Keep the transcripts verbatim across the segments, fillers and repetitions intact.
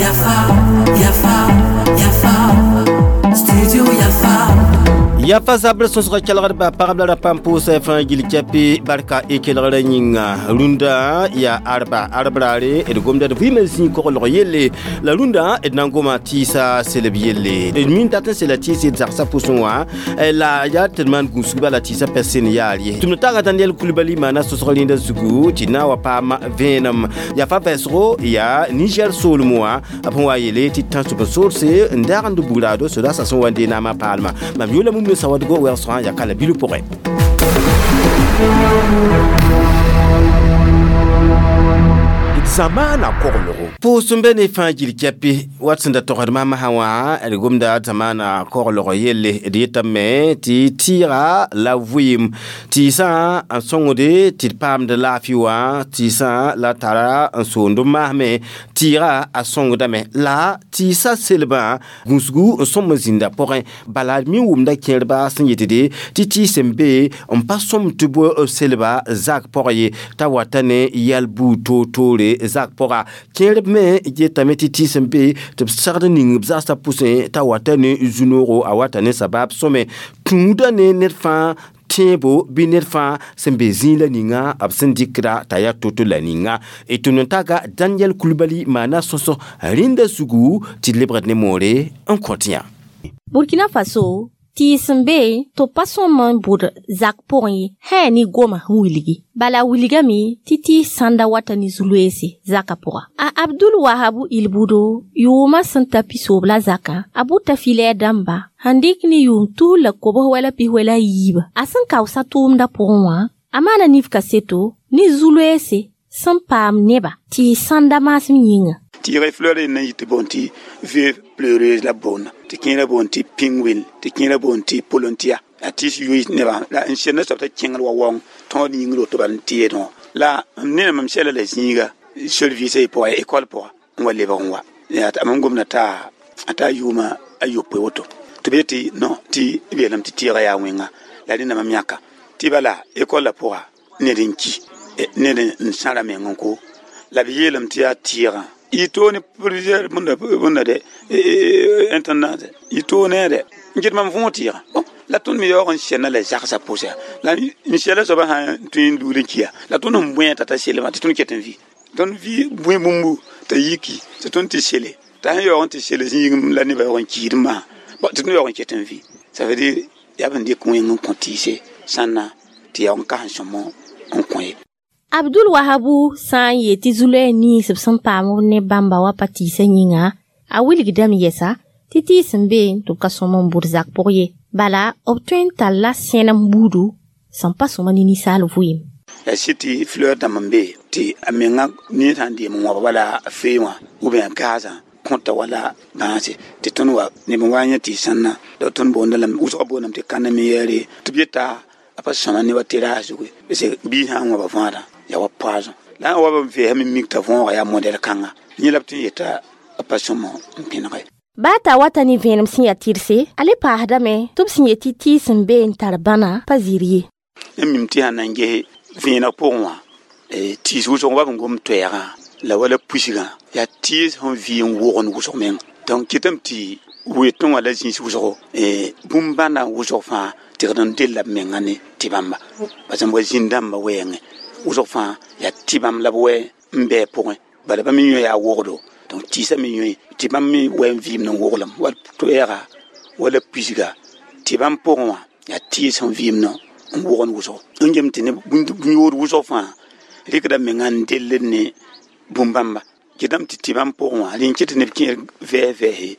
Yafa, Yafa, Yafa, Studio Yafa. Yafa zabr sõsga kelgdba pagb la ra pãmb pʋʋsa fãa gil kɛpɩ barka y kelgrã yĩnga rũndã yaa arba arb raare d gomda d vɩɩmã zĩig koglg yelle la rũndã d na n goma tɩɩsa selb yelle d min dat n sela tɩɩs d zagsã pʋsẽ wã la yaa tɩ d maan gũusg bala tɩɩsã pɛ sẽn yaar ye tɩ m taaga Daniel Coulibaly maana sõsg rẽndã zugu tɩ na n wa paam vẽenem yafa vɛɛsgo yaa Niger soolem wã b sẽn wa yele tɩ tãnsub n soorse n daagend bugraado sodaasã sẽn wa n dee naamã paalmã mam yoola mumne sawadgo wersã ya kala bilu pʋgẽ. Zamaana koglgo pʋʋs n be ne fãa gil kɛpɩ wat sẽn da togsd maam sã wã d gomda zamaana koglg yelle d yetame tɩ tɩɩga la vɩɩm tɩɩsã n sõngde tɩ d paamd laafɩ wã tɩɩsã la tara n soond n maasme tɩɩga a sõngdame la tɩɩsã selbã gũusgu n sõm n zĩnda pʋgẽ bala d mi wʋmda kẽerba sẽn yetde tɩ tɩɩs sẽn be n pa sõm tɩ bʋ selba zak pʋgẽ ye t'a wata ne yɛl buud toor-toore zak pʋga kẽerb me yetame tɩ tɩɩs n be tɩ b segd ning b zagsã pʋsẽ t'a wata ne zu-noogo a wata ne sabab sõme tũuda ne ned fãa tẽebo bɩ ned fãa sẽn be zĩig la ninga b sẽn dɩkda t'a yaa to-to la ninga d tʋm n taga Daniel Coulibaly maana sõsg rẽnda zugu tɩ d lebgd ne moore n kõt yã. Burkina Faso tɩɩs n be tɩ b pa sõm n bʋd zak pʋgẽ ye sã ne goma n wilgi bala wilgame tɩ tɩɩs sãnda wata ne zu-loeese zakã pʋga a Abdul Wahabu Ilbudo yʋʋmã sẽn ta pisoob la zakã a bʋta filɛɛr dãmba sẽn dɩk ne yʋʋm tus la kobs wala pis wala a yiiba a sẽn kaoosa tʋʋmdã pʋgẽ wã a maana nif kaseto ne zu-loeese sẽn paam neba tɩɩs sãnda maasem yĩnga. Tɩɩga fleur n yɩ tɩ boond tɩ veuve pleureuse la boonda tɩ kẽerã boond tɩ pingwin tɩ kẽerã boond tɩ polontia la tɩɩs yoe nebã la n senda soab t'a kẽngd wa waoong tõod yĩngr woto bala n tɩ yeedẽ wã la ned mam sɛla la zĩiga service pʋga école pʋga n wa lebg n wa yaa mam gomda t'a a taa yʋʋma a yopoe woto tɩ b yetɩ non tɩ b yeelame tɩ tɩɩga yaa wẽnga la rẽnda mam yãka tɩ bala école la pʋga ned n ki ned n sãra meng n ko la b yeelame tɩ yaa tɩɩgã y toone plusieurs bõnda bõnda de intendant y toone de n get mam võog tɩɩgã bon la tõnd me yaoog n sɛnda la zagsã pʋsã la n sɛla soabã sã n tõe n luud n kiya la tõnd sẽn bõe t'a ta selmã tɩ tõnd ket n vɩ tõnd vɩ bõe bũmbu t'a yiki tɩ tõnd tɩ sele t'a sẽn yaoog n tɩ sele zĩigm la nebã yaoog n kiid masã bon tɩ tõnd yaoog n ket n vɩ ça veut dire yaa b n dɩk wẽng n kõ tɩɩse sãnna tɩ yaoog n kas n sõmo n kõ ye. Abdul Wahabu sã n yet tɩ zu-loɛɛg nins b sẽn paam b ne bãmba wa pa tɩɩsã yĩnga a wilgdame yɛsa tɩ tɩɩs n be tɩ b ka sõm n bʋd zak pʋg ye bala b tõe n talla sẽnem buudu sẽn pa sõma ne ninsaal vɩɩm. La sɩ tɩ fleur dãmb n be tɩ a menga ned sã n deem n wãb wala fee wã ou bien gaazã kõta wala bãase tɩ tõnd wa neb n wa n yẽ tɩ sãnna la tõnd boonda lame wʋsgã boondame tɩ kãnem n yɛɛre tɩ b yeta a pa sõma ne wa terrasse zugu parce que biis sã n wãba võodã yaa wa poison la n wa b vɛɛsame mik t'a võoga yaa modɛl kãnga yẽ la b tɩ n yeta a pa sõm n pẽnege. Baa t'a wata ne vẽenem sẽn yaa tɩrse a le paasdame tɩ b sẽn yet tɩ tɩɩs n be n tar bãna pa zɩr ye. N mim tɩ sãn na n ges vẽeneg pʋgẽ wã tɩɩs wʋsg wa b n gom toɛɛgã la wala pusgã yaa tɩɩs sẽn vɩ n wogend wʋsg meng donc kɩtame tɩ wetẽ wã la zĩis wʋsgo bũmb bãndã wʋsg fãa tɩgd n della b menga ne tɩ bãmba parce que wa zĩn-dãmbã wɛɛngẽ wʋsg fãa yaa tɩ bãmb la b wɛ n bɩ pʋgẽ bala bãmb yõ yaa wogdo donc tɩɩsã me yõe tɩ bãmb me wɛ n vɩɩmd n woglem wala toɛɛga wala pisga tɩ bãmb pʋgẽ wã yaa tɩɩs sẽn vɩɩmd n wogend wʋsgo n gem tɩ ne bũn-yood wʋsg fãa rɩkda menga n delled ne bũmb-bãmba kɩtame tɩ tɩ bãmb pʋgẽ wã rẽ n kɩt tɩ neb kẽer vɛɛs vɛɛse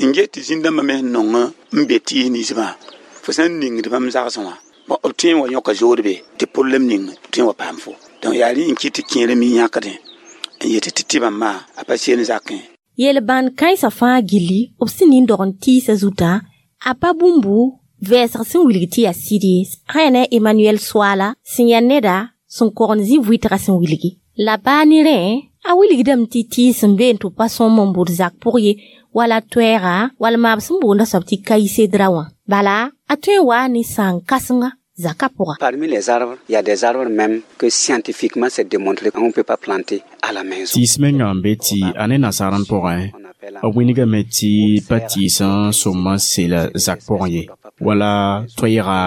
n get tɩ zĩn-dãmbã me sẽn nong n be tɩɩs ninsbã fo sã n ningd bãmb zagsẽ wã bon b tõe n wa yõka zood be tɩ problɛm ning tõe n wa paam fo donc yaa rẽ n kɩt tɩ kẽer me yãkdẽ n yetɩ tɩ tɩ bãmb maa a pa seen zakẽ. Yel-bãnd kãensã fãa gilli b sẽn nin-dog n tɩɩsã zutã a pa bũmbu vɛɛsg sẽn wilg tɩ yaa sɩd ye sã yaa ne Emmanuel Soala sẽn yaa neda sẽn kogend zĩ-vʋɩtgã sẽn wilgi la baa ne rẽ a wilgdame tɩ tɩɩs n be n tɩ b pa sõm n bʋd zak pʋg ye wala toɛɛga wala maab sẽn boonda soab tɩ kaisedra wã bala a tõe n waa ne sãn kãsenga zaka pʋga. Parmi les arbres, il y a des arbres même que scientifiquement c'est démontré qu'on ne peut pas planter à la maison. Tɩɩs menga n be tɩ a ne nasaar n pʋgẽ b wilgame tɩ pa tɩɩs n sõm n sel zak pʋgẽ ye wala toɛɛga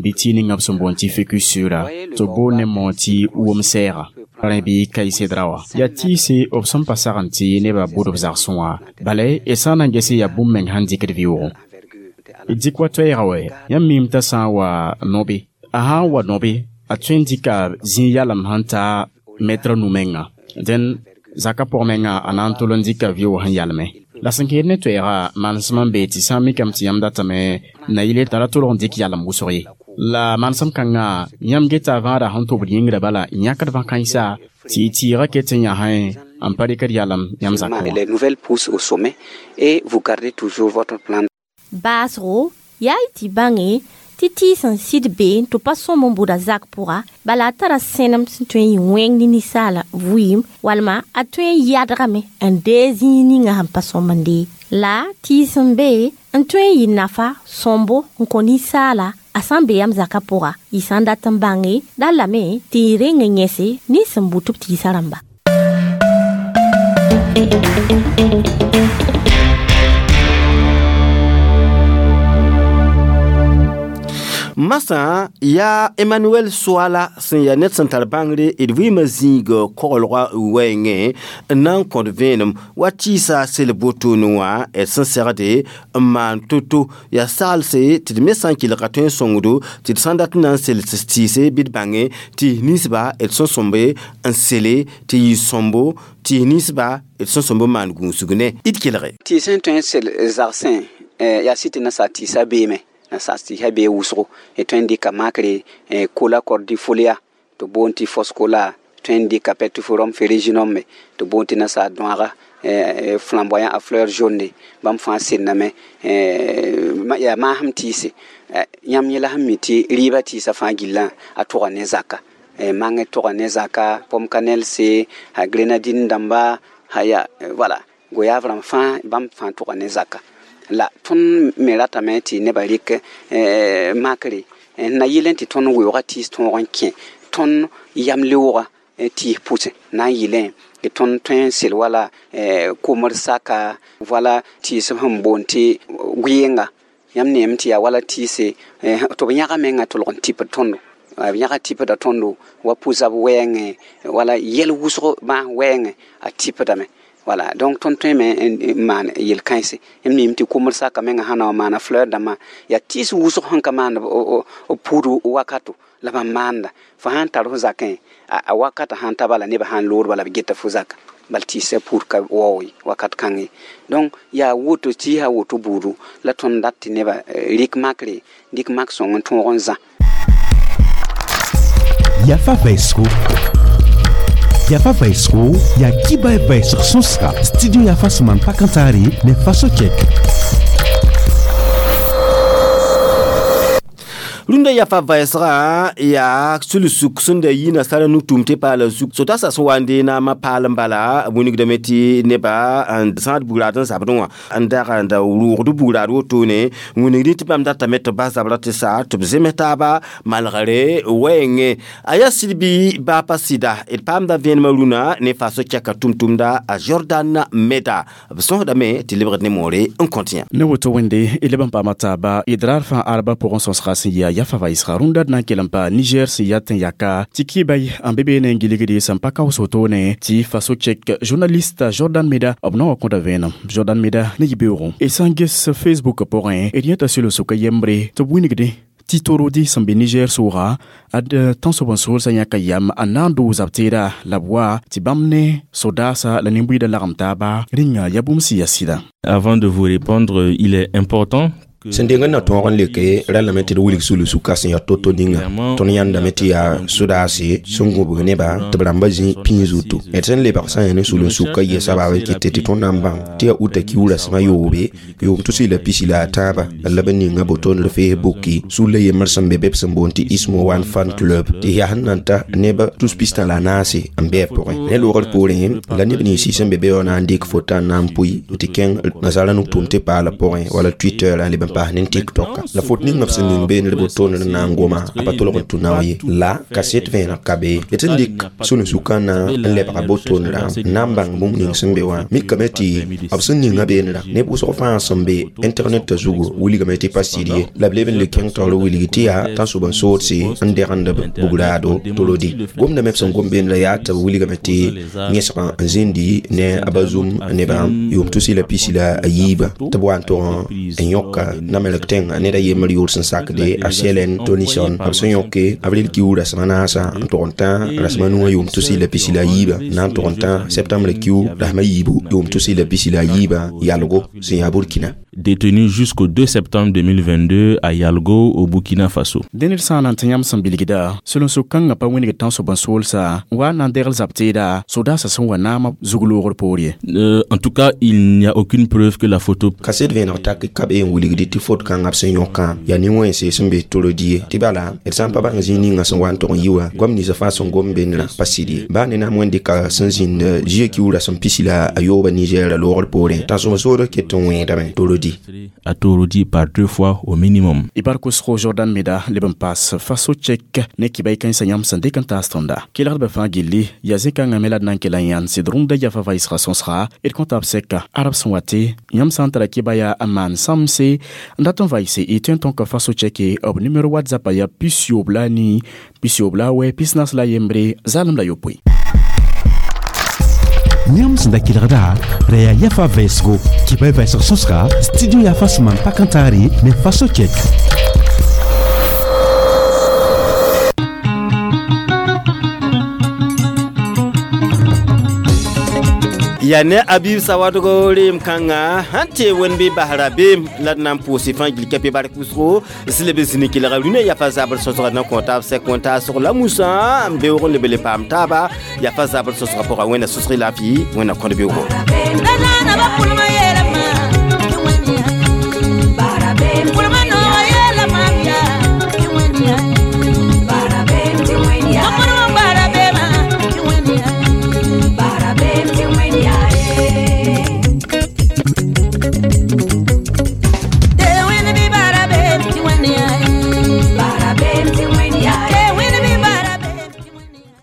bɩ tɩ ninga b sẽn boond tɩ ficusura tɩ b boond ne moog tɩ wʋm-sɛɛga rẽ bɩ kaɩsedra wã yaa tɩɩse b sẽn pa sagn tɩ nebã bʋd b zagsẽ wã bala d sã n na n ges yaa bũmb meng sẽn dɩkd vɩʋʋgẽ d dɩk wa toɛɛga wɛ yãmb miime t'a sã n wa nobe a sã n wa nobe a tõe n dɩka zĩig yalem sẽn ta mɛtrã nu menga dẽn zakã pʋg menga a na n tol n dɩka vɩʋʋg sẽn yalme la sẽn kẽed ne toɛɛga manesem n bee tɩ sã n mikame tɩ yãmb datame na yɩle t'a ra tolg n dɩk yalem wʋsg ye la manesem kãngã yãmb geta vãada sẽn tʋbd yĩngrã bala n yãkd vã-kãensa tɩ y tɩɩgã ket n yãsẽ n pa rɩkd yalem yãmb zakẽ wã. Les nouvelles poussent au sommet et vous gardez toujours votre plante. Baasgo yaa y tɩ bãnge tɩ tɩɩs n sɩd bee tɩ pa sõm n bʋda zak pʋga bala a tara sẽnem sẽn tõe n yɩ wẽng ne ninsaala vɩɩm walma a tõe n yadgame n dee zĩig ninga sẽn pa sõm n dee la tɩɩs n be n tõe n yɩ nafa sõmbo n kõ ninsaala a sã n be yam zakã pʋga y sã n dat n bãnge la lame tɩ y reng n yẽse nins sẽn bʋ tɩ b tɩɩsã rãmba. Masã yaa Emmanuel Soala sẽn yaa ned sẽn tar bãngre d vɩɩmã zĩig koglgã wɛɛngẽ n na n kõt vẽenem wa tɩɩsa sel botone wã d sẽn segde n maan to-to yaa saglse tɩ d me sã n kelga tõe n sõngdo tɩ d sã n dat n na n sels tɩɩse bɩ d bãnge tɩ ninsba d sẽn sõmbe n sele tɩ yɩ sõmbo tɩ ninsba d sẽn sõmb n maan gũusg ne d kelge. Tɩ sẽn tõe n sel zagsẽ yaa sɩ tɩ nasaar tɩɩsã beeme nasaar tɩɩsã bee wʋsgo d tõe n dɩka makre kola cordifolia tɩ boond tɩ foscola tõe n dɩka petriforum ferruginum me tɩ boond tɩ nasaar dõaga flamboyant a fleur jaune bãmb fãa senname yaa maasem tɩɩse yãmb yẽla sẽn mi tɩ rɩɩbã tɩɩsã fãa gillã a tʋga ne zaka mangẽ tʋga ne zaka pomme-cannelle a grenadine dãmba ya voilà goyave rãmb fãa bãmb fãa tʋga ne zaka la tõnd me ratame tɩ nebã rɩk makre n na yɩl n tɩ tõnd weoogã tɩɩs tõog n kẽ tõnd yam leoogã tɩɩs pʋsẽ na n yɩlẽ tɩ tõnd tõe n sel wala komr saka wala tɩɩs sẽn boond tɩ goeenga yãmb neem tɩ yaa wala tɩɩse tɩ b yãga menga tolg n tipd tõndo b yãga tipda tõndo wa pʋ-zab wɛɛngẽ wala yɛl wʋsg bãas wɛɛngẽ a tipdame. Voilà, donc tõnd tõe me n maan yel-kãense m miime tɩ komr saka menga sã na wa maana fleur dãmbã yaa tɩɩs wʋsg sẽn ka maand b pʋʋd wakato la bãmb maanda fo sã n tar fo zakẽ a wakatã sãn ta bala nebã sã n lood bala b geta fo zaka bal tɩɩsã pʋʋd ka waoog ye wakat kãng ye donc yaa woto tɩɩsã woto buudu la tõnd dat tɩ nebã rɩk makre dɩk mak sõng n tõog n zã. Yafa Vaisco Yafa Vaisco ya kiba vaisg sõsga studio Yafa sẽn maan pakãntaare ne faso kɛk. Rũndã yafa vɛɛsgã yaa sul-suk sẽn da yi nasaara nugtʋʋm tɩ paala zug so-dasã sẽn wa n dee naamã paal n bala wilgdame tɩ neba n zãad bugraad n zabdẽ wã n dag n da rʋʋgd bugraad wotone wilgdẽ tɩ bãmb datame tɩ bas zabrã tɩ sa tɩ b zems taaba malgre wɛɛngẽ a yaa sɩd bɩ baa pa sɩda d paamda vẽenemã rũnã ne faso kɛka tʋm-tʋmda a Jordan Meda b sõsdame tɩ lebgd ne moore n kõt yã. Ne woto wẽnde y leb n paama taaba d raar fãa arba pʋgẽ sõsga sẽn yaa yafa vaisga rũndã d na n kell n pa Niger sẽn yat n yaka tɩ kɩbay n be beene n gilgde sẽn pa kaoos wotone tɩ faso kɛk journaliste Jordan Meda b na wa kõta vẽenem Jordan Meda ne yibeoogẽ y sã n ges Facebook pʋgẽ d yẽta sel-sʋka yembre tɩ b wilgdẽ tɩ torodi sẽn be Niger sʋʋga ad tãnsoab n soolsã yãka yam n na n doog zab-teeda la b wa tɩ bãmb ne sodaasa la nin-buiidã lagem taaba rĩnga yaa bũmb sẽn yaa sɩda. Avant de vous répondre, il est important sẽn deng n na tõog n leke rãllame tɩ d wilg sul-sukã sẽn yaa to-to ninga tõnd yãndame tɩ yaa sodaase sẽn gũbg nebã tɩ b rãmbã zĩ pĩig zutu d sẽn lebg sã n yaa ne sul-n-sukã yɛsa baab n kɩt tɩ tõnd na n bãng tɩ yaa uta kiuurã sẽma yoobe yʋʋm tus la pisi la a tãabã la b ninga botond Facebook sulla yembr sẽn be be b sẽn boond tɩ Ismo One Fan Club tɩ yaa sẽn nan ta neb tus pistã la a naase n bɩ a pʋgẽ ne loogr poorẽ la neb nins sẽn be be wã na n dɩk fota n na n pʋɩ tɩ kẽng nasaarã nug-tʋʋm tɩ paala pʋgẽ wala Twitter n leb n paas ne TikTok la fot ninga b sẽn ning beene d botooned n na n goma a pa tolg n tũ nao ye la kaset vẽeneg ka be d sẽn dɩk sulun-sukã na n lebga botoonedã n na n bãng bũmb ning sẽn be wã mikame tɩ b sẽn ninga beenedã neb wʋsg fãa sẽn be internet zugu wilgame tɩ pa sɩd ye la b leb n le kẽng taoor wilgi tɩ yaa tãnsoab n soodse n degend b bugraado torodi gomdame b sẽn gom beenedã yaa tɩ b wilgame tɩ yẽsg n zĩndi ne a ba zum nebã yʋʋm tusi la pisi la a yiiba tɩ b wa n tog n yõka namelg tẽng ned a yembr yʋʋr sẽn sakde a Selen Tonison b sẽn yõke avril kiu rasem a naasã n tog n tã rasem a nuã yʋʋm tusi la pisi la a yiiba na n tog n tã septembre kiu rasem a yiibu yʋʋm tusi la pisi la a yiiba Yalgo sẽn yaa Burkina. Détenu jusqu'au deux septembre deux mille vingt-deux à Yalgo, au Burkina Faso. Dẽned sã n na n tɩ yãmb sẽn bilgda sulun-suk-kãngã pa wĩneg tãnsoab n soolsa wa n na n degl zab teeda sodaasã sẽn wa naamã zug-loogr poor ye. Euh, en tout cas, il n'y a aucune preuve que la photo kaset vẽeneg tak ka be n wilgd tɩ fot kãngã b sẽn yõkã yaa nin-wẽnse sẽn be torodi ye tɩ bala d sã n pa bãng zĩig ninga sẽn wa n tog n yi wã goam ninsã fãa sẽn gom beenrã pa sɩd ye baa ne na n wẽnd dɩka sẽn zĩnd zie kiu rasem pisi la a yooba Niger loogr poorẽ tãnsoab soodg ket n wẽedame torodi. À Torodi par deux fois au minimum. Ibar kosgo Jordan Meda leb n paas Faso Tchèque ne kibay kãensã yãmb sẽn dɩk n taas tõnda kelgdbã fãa gilli yaa zĩ-kãngã me la d na n kell n yãnd sɩd rũmda yafa vaɩsga sõsga d kõta b sɛka arab sẽn wa tɩ yãmb sã n tara kɩba yaa n maan sãmse n dat n vaɩse y tõe n tõka Faso Tchèque b numéro WhatsApp yaa pis yoob la a nii pis yoob la a wɛ pis naas la a yembre zalem la yopoe. Yãmb sẽn da kelgda ra yaa yafa vɛɛsgo kɩba y vɛɛsg sõsga studio yafa sẽn maan pak n taare ne Faso Tchèque. Ya ne Abib Sawadogo reem kãnga sãn tee wẽnd bɩ basra beem la d na n pʋʋs fãa gil kɛpɩ bark wʋsgo sẽn leb n zĩni kelga rũnã yafa zabr sõsga na kõ taab sɛk wẽn-taasg la musã n beoog n leb n le paam taaba yafa zabr sõsga pʋga wẽnna sõsg laafɩ wẽnna kõd beoogo.